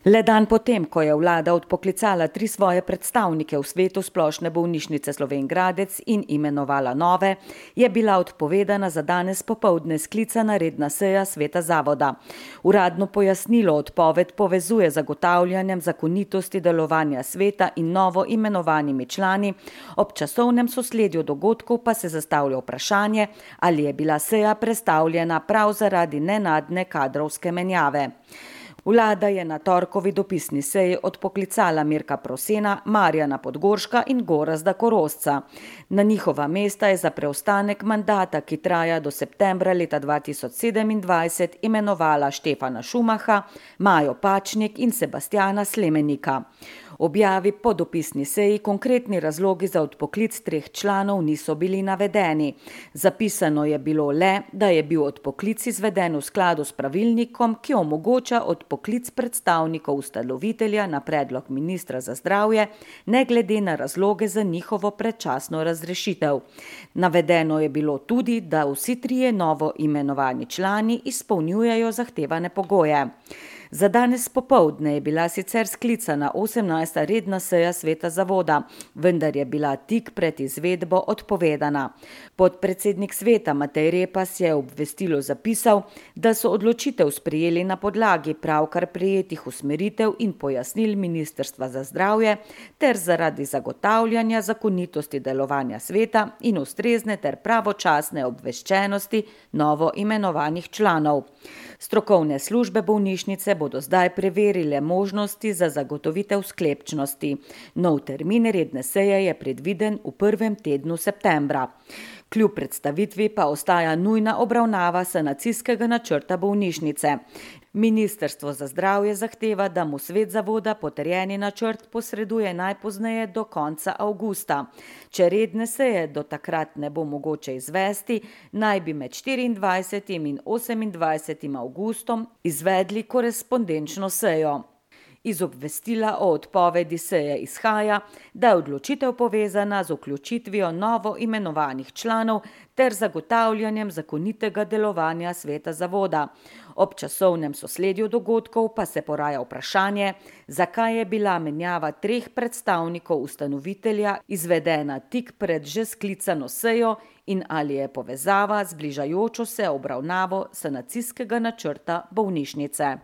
Le dan potem, ko je vlada odpoklicala 3 svoje predstavnike v svetu Splošne bolnišnice Slovenj Gradec in imenovala nove, je bila odpovedana za danes popoldne sklicana redna seja sveta zavoda. Uradno pojasnilo odpoved povezuje z zagotavljanjem zakonitosti delovanja sveta in novo imenovanimi člani, ob časovnem sosledju dogodkov pa se zastavlja vprašanje, ali je bila seja prestavljena prav zaradi nenadne kadrovske menjave. Vlada je na torkovi dopisni seji odpoklicala Mirka Prosena, Marjana Podgorška in Gorazda Korošca. Na njihova mesta je za preostanek mandata, ki traja do septembra leta 2027, imenovala Štefana Šumaha, Majo Pačnik in Sebastjana Slemenika. Objavi po dopisni seji konkretni razlogi za odpoklic 3 članov niso bili navedeni. Zapisano je bilo le, da je bil odpoklic izveden v skladu s pravilnikom, ki omogoča odpoklic predstavnikov ustanovitelja na predlog ministra za zdravje, ne glede na razloge za njihovo predčasno razrešitev. Navedeno je bilo tudi, da vsi 3 novo imenovani člani izpolnjujejo zahtevane pogoje. Za danes popoldne je bila sicer sklicana 18. redna seja sveta zavoda, vendar je bila tik pred izvedbo odpovedana. Podpredsednik sveta Matej Repas je v obvestilu zapisal, da so odločitev sprejeli na podlagi pravkar prejetih usmeritev in pojasnil Ministrstva za zdravje ter zaradi zagotavljanja zakonitosti delovanja sveta in ustrezne ter pravočasne obveščenosti novo imenovanih članov. Strokovne službe bolnišnice bodo zdaj preverile možnosti za zagotovitev sklepčnosti. Nov termin redne seje je predviden v prvem tednu septembra. Kljub predstavitvi pa ostaja nujna obravnava sanacijskega načrta bolnišnice. Ministrstvo za zdravje zahteva, da mu svet zavoda potrjeni načrt posreduje najpozneje do konca avgusta. Če redne seje do takrat ne bo mogoče izvesti, naj bi med 24. in 28. avgustom izvedli korespondenčno sejo. Iz obvestila o odpovedi seje izhaja, da je odločitev povezana z vključitvijo novo imenovanih članov ter zagotavljanjem zakonitega delovanja sveta zavoda. Ob časovnem sosledju dogodkov pa se poraja vprašanje, zakaj je bila menjava 3 predstavnikov ustanovitelja izvedena tik pred že sklicano sejo in ali je povezava z bližajočo se obravnavo sanacijskega načrta bolnišnice.